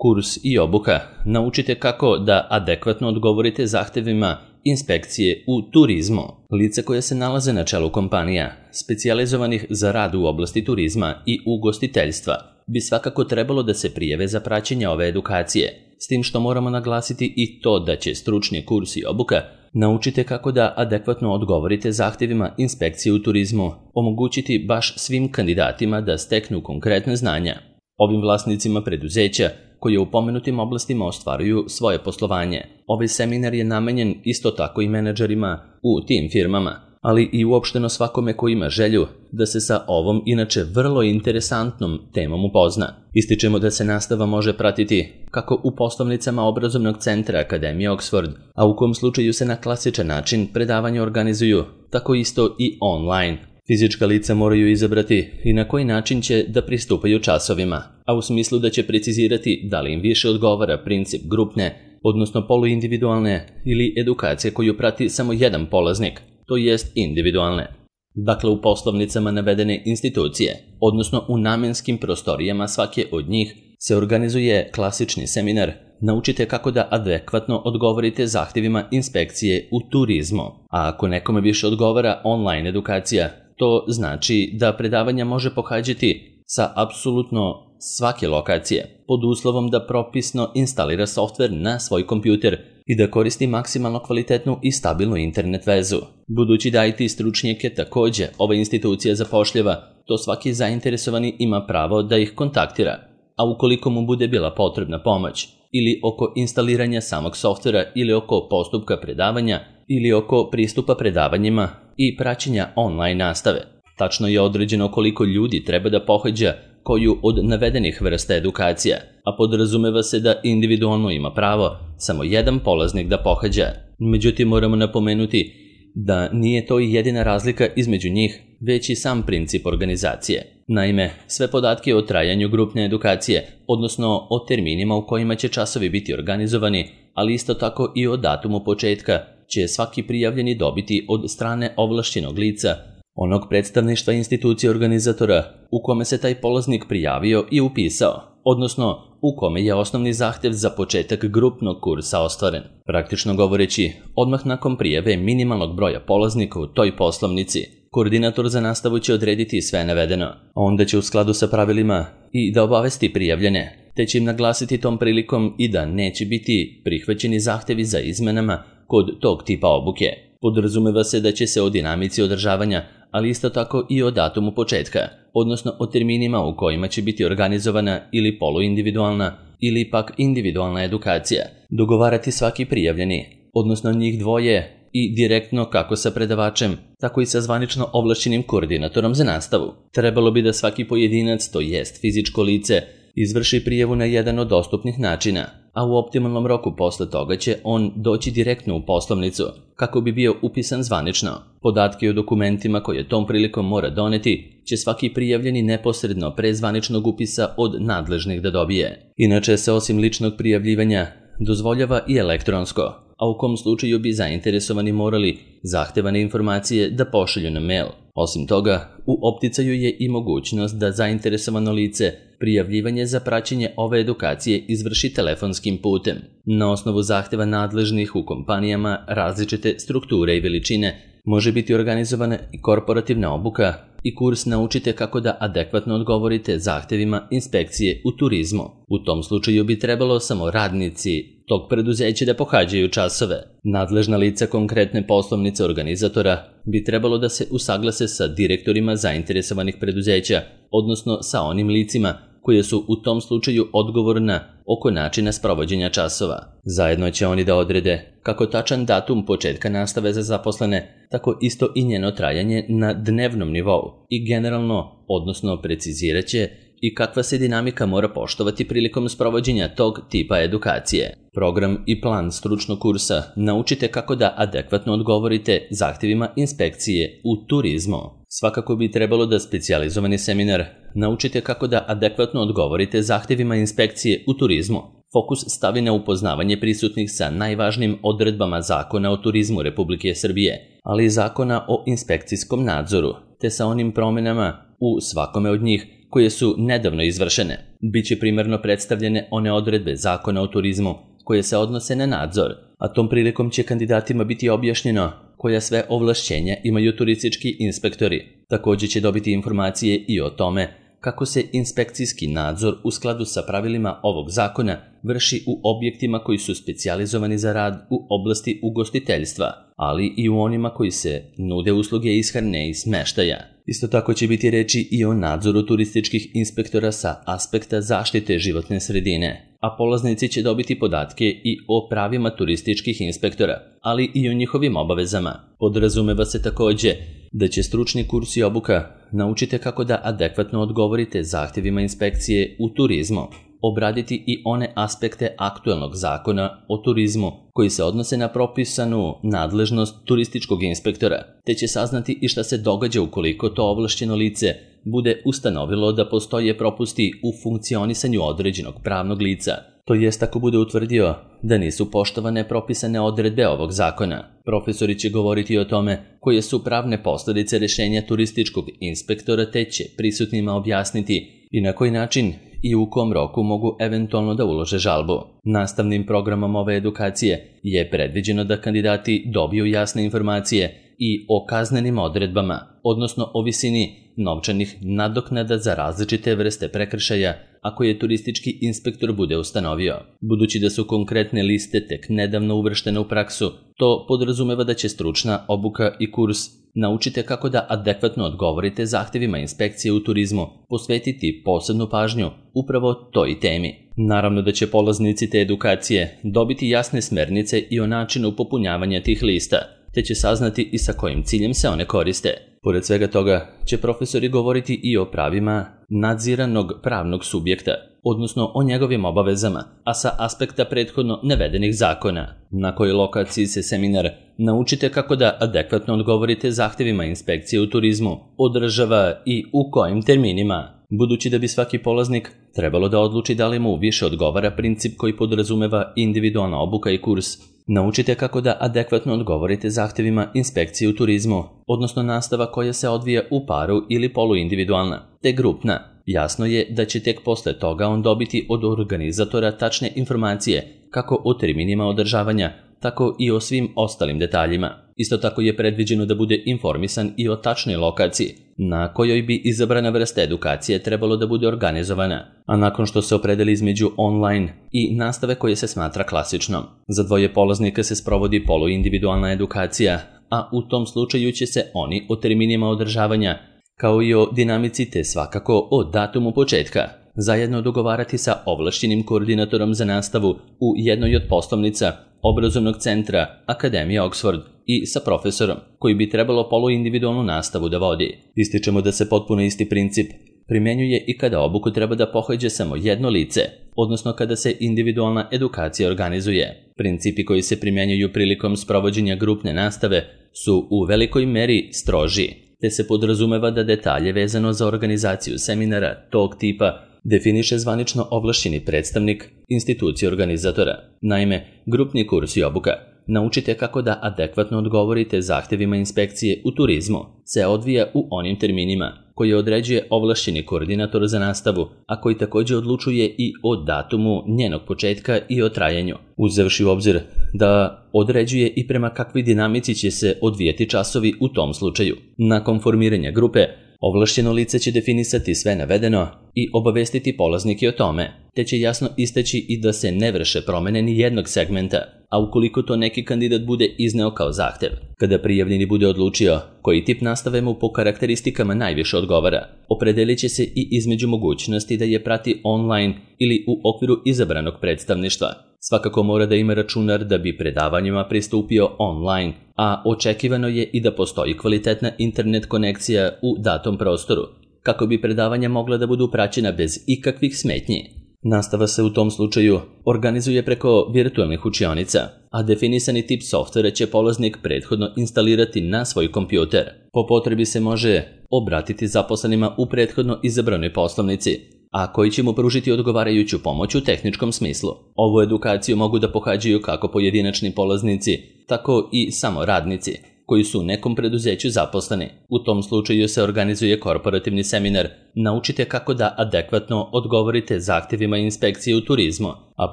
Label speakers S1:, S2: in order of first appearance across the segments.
S1: Kurs i obuka. Naučite kako da adekvatno odgovorite zahtevima inspekcije u turizmu. Lica koja se nalaze na čelu kompanija, specijalizovanih za rad u oblasti turizma i ugostiteljstva, bi svakako trebalo da se prijave za praćenje ove edukacije. S tim što moramo naglasiti i to da će stručni kurs i obuka naučite kako da adekvatno odgovorite zahtevima inspekcije u turizmu omogućiti baš svim kandidatima da steknu konkretne znanja. Ovim vlasnicima preduzeća koji u pomenutim oblastima ostvaruju svoje poslovanje. Ovaj seminar je namenjen isto tako i menadžerima u tim firmama, ali i uopšteno svakome ko ima želju da se sa ovom inače vrlo interesantnom temom upozna. Ističemo da se nastava može pratiti kako u poslovnicama obrazovnog centra Akademije Oxford, a u kom slučaju se na klasičan način predavanja organizuju, tako isto i online. Fizička lica moraju izabrati i na koji način će da pristupaju časovima, a u smislu da će precizirati da li im više odgovara princip grupne, odnosno poluindividualne ili edukacije koju prati samo jedan polaznik, to jest individualne. Dakle, u poslovnicama navedene institucije, odnosno u namenskim prostorijama svake od njih, se organizuje klasični seminar Naučite kako da adekvatno odgovorite zahtevima inspekcije u turizmu. A ako nekome više odgovara online edukacija, to znači da predavanja može pohađati sa apsolutno svake lokacije, pod uslovom da propisno instalira softver na svoj kompjuter i da koristi maksimalno kvalitetnu i stabilnu internet vezu. Budući da IT stručnjake takođe ova institucija zapošljava, to svaki zainteresovani ima pravo da ih kontaktira, a ukoliko mu bude bila potrebna pomoć, ili oko instaliranja samog softvera ili oko postupka predavanja, ili oko pristupa predavanjima i praćenja online nastave. Tačno je određeno koliko ljudi treba da pohađa koju od navedenih vrsta edukacija, a podrazumeva se da individualno ima pravo samo jedan polaznik da pohađa. Međutim, moramo napomenuti da nije to i jedina razlika između njih, već i sam princip organizacije. Naime, sve podatke o trajanju grupne edukacije, odnosno o terminima u kojima će časovi biti organizovani, ali isto tako i o datumu početka, će svaki prijavljeni dobiti od strane ovlašćenog lica, onog predstavništva institucije organizatora u kome se taj polaznik prijavio i upisao, odnosno u kome je osnovni zahtev za početak grupnog kursa ostvaren. Praktično govoreći, odmah nakon prijave minimalnog broja polaznika u toj poslovnici, koordinator za nastavu će odrediti sve navedeno, a onda će u skladu sa pravilima i da obavesti prijavljene, te će im naglasiti tom prilikom i da neće biti prihvaćeni zahtevi za izmenama kod tog tipa obuke. Podrazumeva se da će se o dinamici održavanja, ali isto tako i o datumu početka, odnosno o terminima u kojima će biti organizovana ili poluindividualna ili pak individualna edukacija, dogovarati svaki prijavljeni, odnosno njih dvoje i direktno kako sa predavačem, tako i sa zvanično ovlašćenim koordinatorom za nastavu. Trebalo bi da svaki pojedinac, to jest fizičko lice, izvrši prijavu na jedan od dostupnih načina, a u optimalnom roku posle toga će on doći direktno u poslovnicu kako bi bio upisan zvanično. Podatke o dokumentima koje tom prilikom mora doneti će svaki prijavljeni neposredno pre zvaničnog upisa od nadležnih da dobije. Inače se osim ličnog prijavljivanja dozvoljava i elektronsko, a u kom slučaju bi zainteresovani morali zahtevane informacije da pošalju na mail. Osim toga, u opticaju je i mogućnost da zainteresovano lice prijavljivanje za praćenje ove edukacije izvrši telefonskim putem. Na osnovu zahteva nadležnih u kompanijama različite strukture i veličine može biti organizovana i korporativna obuka i kurs Naučite kako da adekvatno odgovorite zahtevima inspekcije u turizmu. U tom slučaju bi trebalo samo radnici tog preduzeća da pohađaju časove. Nadležna lica konkretne poslovnice organizatora bi trebalo da se usaglase sa direktorima zainteresovanih preduzeća, odnosno sa onim licima koje su u tom slučaju odgovorna oko načina sprovođenja časova. Zajedno će oni da odrede kako tačan datum početka nastave za zaposlene, tako isto i njeno trajanje na dnevnom nivou i generalno, odnosno precizirat će i kakva se dinamika mora poštovati prilikom sprovođenja tog tipa edukacije. Program i plan stručnog kursa Naučite kako da adekvatno odgovorite zahtevima inspekcije u turizmu. Svakako bi trebalo da specijalizovani seminar Naučite kako da adekvatno odgovorite zahtevima inspekcije u turizmu fokus stavi na upoznavanje prisutnih sa najvažnijim odredbama Zakona o turizmu Republike Srbije, ali i Zakona o inspekcijskom nadzoru, te sa onim promenama u svakome od njih koje su nedavno izvršene. Biće primarno predstavljene one odredbe Zakona o turizmu koje se odnose na nadzor, a tom prilikom će kandidatima biti objašnjeno koja sve ovlašćenja imaju turistički inspektori. Također će dobiti informacije i o tome kako se inspekcijski nadzor u skladu sa pravilima ovog zakona vrši u objektima koji su specijalizovani za rad u oblasti ugostiteljstva, ali i u onima koji se nude usluge ishrane i smeštaja. Isto tako će biti reči i o nadzoru turističkih inspektora sa aspekta zaštite životne sredine, a polaznici će dobiti podatke i o pravima turističkih inspektora, ali i o njihovim obavezama. Podrazumeva se također da će stručni kurs i obuka naučite kako da adekvatno odgovorite zahtjevima inspekcije u turizmu, obraditi i one aspekte aktualnog zakona o turizmu koji se odnose na propisanu nadležnost turističkog inspektora, te će saznati i šta se događa ukoliko to ovlašćeno lice bude ustanovilo da postoje propusti u funkcionisanju određenog pravnog lica, to jest ako bude utvrdio da nisu poštovane propisane odredbe ovog zakona. Profesori će govoriti o tome koje su pravne posljedice rješenja turističkog inspektora, te će prisutnima objasniti i na koji način i u kom roku mogu eventualno da ulože žalbu. Nastavnim programom ove edukacije je predviđeno da kandidati dobiju jasne informacije i o kaznenim odredbama, odnosno o visini novčanih nadoknada za različite vrste prekršaja ako je turistički inspektor bude ustanovio. Budući da su konkretne liste tek nedavno uvrštene u praksu, to podrazumeva da će stručna obuka i kurs naučite kako da adekvatno odgovorite zahtjevima inspekcije u turizmu, posvetiti posebnu pažnju upravo toj temi. Naravno da će polaznici te edukacije dobiti jasne smernice i o načinu popunjavanja tih lista, te će saznati i sa kojim ciljem se one koriste. Pored svega toga će profesori govoriti i o pravima nadziranog pravnog subjekta, odnosno o njegovim obavezama, a sa aspekta prethodno navedenih zakona. Na kojoj lokaciji se seminar naučite kako da adekvatno odgovorite zahtjevima inspekcije u turizmu održava i u kojim terminima. Budući da bi svaki polaznik trebalo da odluči da li mu više odgovara princip koji podrazumeva individualna obuka i kurs, naučite kako da adekvatno odgovorite zahtjevima inspekcije u turizmu, odnosno nastava koja se odvija u paru ili poluindividualna, te grupna. Jasno je da će tek posle toga on dobiti od organizatora tačne informacije kako o terminima održavanja, tako i o svim ostalim detaljima. Isto tako je predviđeno da bude informisan i o tačnoj lokaciji na kojoj bi izabrana vrsta edukacije trebalo da bude organizovana, a nakon što se opredeli između online i nastave koje se smatra klasičnom. Za dvoje polaznika se sprovodi poluindividualna edukacija, a u tom slučaju će se oni o terminima održavanja kao i o dinamici te svakako o datumu početka zajedno dogovarati sa ovlašćenim koordinatorom za nastavu u jednoj od poslovnica obrazovnog centra Akademije Oxford i sa profesorom koji bi trebalo poluindividualnu nastavu da vodi. Ističemo da se potpuno isti princip primjenjuje i kada obuku treba da pohađa samo jedno lice, odnosno kada se individualna edukacija organizuje. Principi koji se primjenjuju prilikom sprovođenja grupne nastave su u velikoj meri stroži, te se podrazumeva da detalje vezano za organizaciju seminara tog tipa definiše zvanično ovlašćeni predstavnik institucije organizatora. Naime, grupni kurs i obuka naučite kako da adekvatno odgovorite zahtjevima inspekcije u turizmu se odvija u onim terminima koje određuje ovlašćeni koordinator za nastavu, a koji također odlučuje i o datumu njenog početka i o trajanju, uzevši u obzir da određuje i prema kakvoj dinamici će se odvijeti časovi u tom slučaju. Nakon formiranja grupe, ovlašćeno lice će definisati sve navedeno i obavestiti polaznike o tome, te će jasno istaći i da se ne vrše promjene ni jednog segmenta, a ukoliko to neki kandidat bude izneo kao zahtjev. Kada prijavljeni bude odlučio koji tip nastave mu po karakteristikama najviše odgovara, opredelit će se i između mogućnosti da je prati online ili u okviru izabranog predstavništva. Svakako mora da ima računar da bi predavanjima pristupio online, a očekivano je i da postoji kvalitetna internet konekcija u datom prostoru, kako bi predavanja mogla da budu praćena bez ikakvih smetnji. Nastava se u tom slučaju organizuje preko virtualnih učionica, a definisani tip softvera će polaznik prethodno instalirati na svoj kompjuter. Po potrebi se može obratiti zaposlenima u prethodno izabranoj poslovnici, a koji će mu pružiti odgovarajuću pomoć u tehničkom smislu. Ovu edukaciju mogu da pohađaju kako pojedinačni polaznici, tako i samo radnici. koji su u nekom preduzeću zaposleni. U tom slučaju se organizuje korporativni seminar Naučite kako da adekvatno odgovorite zahtjevima inspekcije u turizmu, a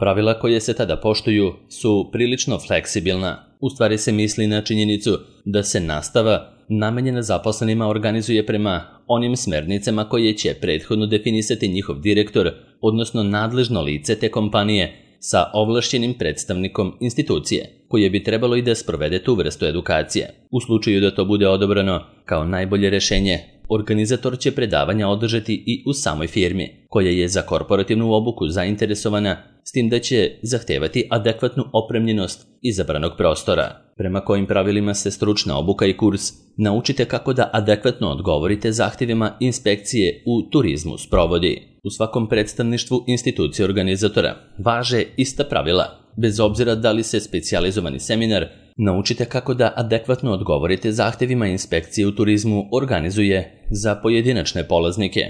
S1: pravila koje se tada poštuju su prilično fleksibilna. U stvari se misli na činjenicu da se nastava namenjena zaposlenima organizuje prema onim smernicama koje će prethodno definisati njihov direktor, odnosno nadležno lice te kompanije, sa ovlašćenim predstavnikom institucije, koje bi trebalo i da sprovede tu vrstu edukacije. U slučaju da to bude odobrano kao najbolje rješenje, organizator će predavanja održati i u samoj firmi, koja je za korporativnu obuku zainteresovana, s tim da će zahtevati adekvatnu opremljenost izabranog prostora. Prema kojim pravilima se stručna obuka i kurs Naučite kako da adekvatno odgovorite zahtjevima inspekcije u turizmu sprovodi. U svakom predstavništvu institucije organizatora važe ista pravila, bez obzira da li se specijalizovani seminar Naučite kako da adekvatno odgovorite zahtjevima inspekcije u turizmu organizuje za pojedinačne polaznike,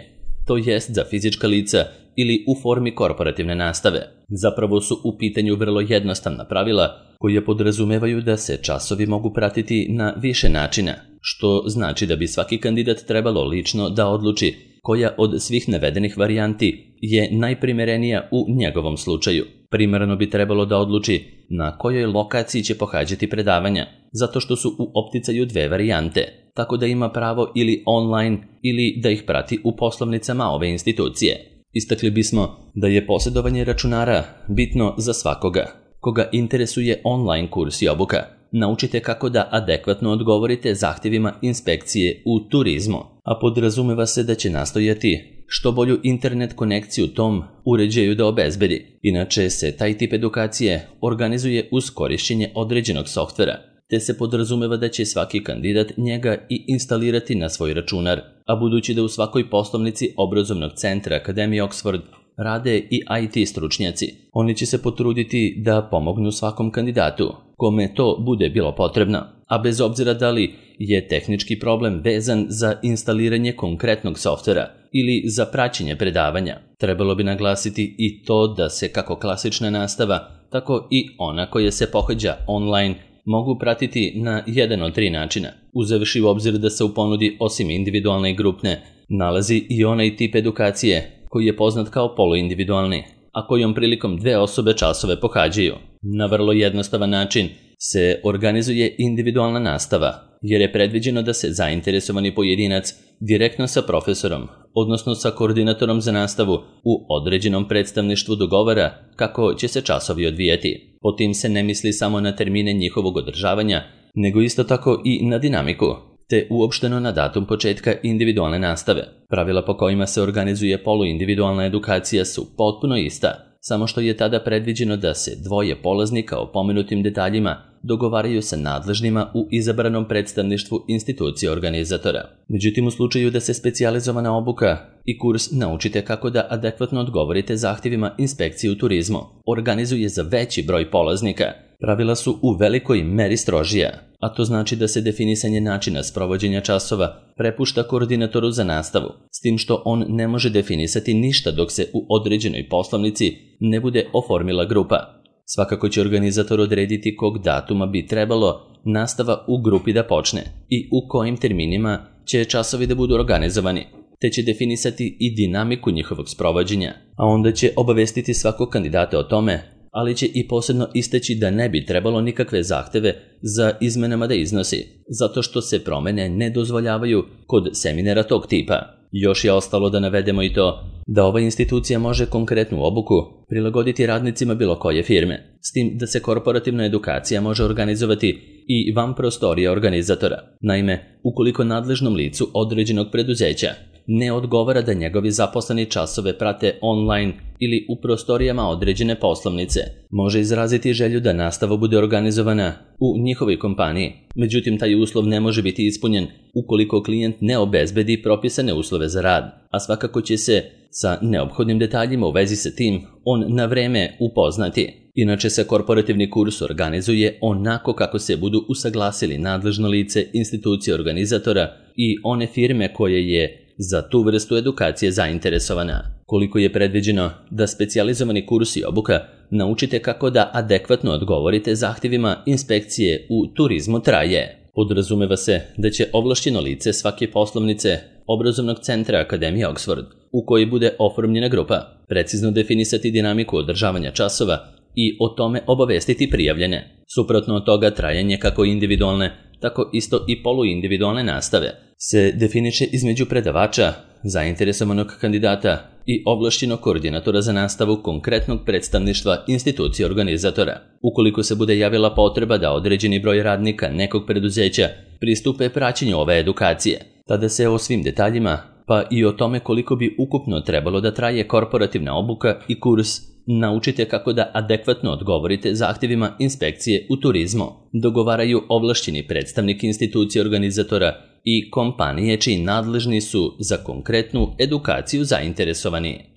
S1: to jest za fizička lica ili u formi korporativne nastave. Zapravo su u pitanju vrlo jednostavna pravila koje podrazumevaju da se časovi mogu pratiti na više načina, što znači da bi svaki kandidat trebalo lično da odluči koja od svih navedenih varijanti je najprimjerenija u njegovom slučaju. Primarno bi trebalo da odluči na kojoj lokaciji će pohađati predavanja, zato što su u opticaju dve varijante, tako da ima pravo ili online ili da ih prati u poslovnicama ove institucije. Istakli bismo da je posjedovanje računara bitno za svakoga koga interesuje online kurs i obuka. Naučite kako da adekvatno odgovorite zahtjevima inspekcije u turizmu, a podrazumeva se da će nastojati što bolju internet konekciju tom uređaju da obezbedi. Inače se taj tip edukacije organizuje uz korišćenje određenog softvera, te se podrazumeva da će svaki kandidat njega i instalirati na svoj računar, a budući da u svakoj poslovnici obrazovnog centra Akademije Oxford rade i IT stručnjaci, oni će se potruditi da pomognu svakom kandidatu kome to bude bilo potrebno, a bez obzira da li je tehnički problem vezan za instaliranje konkretnog softvera ili za praćenje predavanja. Trebalo bi naglasiti i to da se kako klasična nastava, tako i ona koja se pohađa online mogu pratiti na jedan od tri načina, uzevši u obzir da se u ponudi osim individualne i grupne nalazi i onaj tip edukacije koji je poznat kao poluindividualni, a kojom prilikom dve osobe časove pohađaju. Na vrlo jednostavan način se organizuje individualna nastava, jer je predviđeno da se zainteresovani pojedinac direktno sa profesorom, odnosno sa koordinatorom za nastavu u određenom predstavništvu dogovara kako će se časovi odvijati. Po tim se ne misli samo na termine njihovog održavanja, nego isto tako i na dinamiku, te uopšteno na datum početka individualne nastave. Pravila po kojima se organizuje poluindividualna edukacija su potpuno ista, samo što je tada predviđeno da se dvoje polaznika o pomenutim detaljima dogovaraju sa nadležnima u izabranom predstavništvu institucije organizatora. Međutim, u slučaju da se specijalizovana obuka i kurs Naučite kako da adekvatno odgovorite zahtjevima inspekcije u turizmu organizuje za veći broj polaznika, pravila su u velikoj meri strožija, a to znači da se definisanje načina sprovođenja časova prepušta koordinatoru za nastavu, s tim što on ne može definisati ništa dok se u određenoj poslovnici ne bude oformila grupa. Svakako će organizator odrediti kog datuma bi trebalo nastava u grupi da počne i u kojim terminima će časovi da budu organizovani, te će definisati i dinamiku njihovog sprovođenja, a onda će obavestiti svakog kandidata o tome, ali će i posebno istaći da ne bi trebalo nikakve zahteve za izmenama da iznosi, zato što se promene ne dozvoljavaju kod seminara tog tipa. Još je ostalo da navedemo i to da ova institucija može konkretnu obuku prilagoditi radnicima bilo koje firme, s tim da se korporativna edukacija može organizovati i van prostorija organizatora. Naime, ukoliko nadležnom licu određenog preduzeća ne odgovara da njegovi zaposleni časove prate online ili u prostorijama određene poslovnice, može izraziti želju da nastava bude organizovana u njihovoj kompaniji. Međutim, taj uslov ne može biti ispunjen ukoliko klijent ne obezbedi propisane uslove za rad, a svakako će se sa neophodnim detaljima u vezi sa tim on na vreme upoznati. Inače se korporativni kurs organizuje onako kako se budu usaglasili nadležno lice, institucije organizatora i one firme koje je za tu vrstu edukacije zainteresovana. Koliko je predviđeno da specijalizovani kurs i obuka Naučite kako da adekvatno odgovorite zahtjevima inspekcije u turizmu traje. Podrazumeva se da će ovlašćeno lice svake poslovnice obrazovnog centra Akademije Oxford, u kojoj bude oformljena grupa, precizno definisati dinamiku održavanja časova i o tome obavestiti prijavljene. Suprotno od toga, trajanje kako individualne, tako isto i poluindividualne nastave se definiše između predavača, zainteresovanog kandidata i ovlašćenog koordinatora za nastavu konkretnog predstavništva institucije organizatora. Ukoliko se bude javila potreba da određeni broj radnika nekog preduzeća pristupe praćenju ove edukacije, tada se o svim detaljima, pa i o tome koliko bi ukupno trebalo da traje korporativna obuka i kurs, naučite kako da adekvatno odgovorite zahtjevima inspekcije u turizmu, dogovaraju ovlašćeni predstavnik institucije organizatora i kompanije čiji nadležni su za konkretnu edukaciju zainteresovani.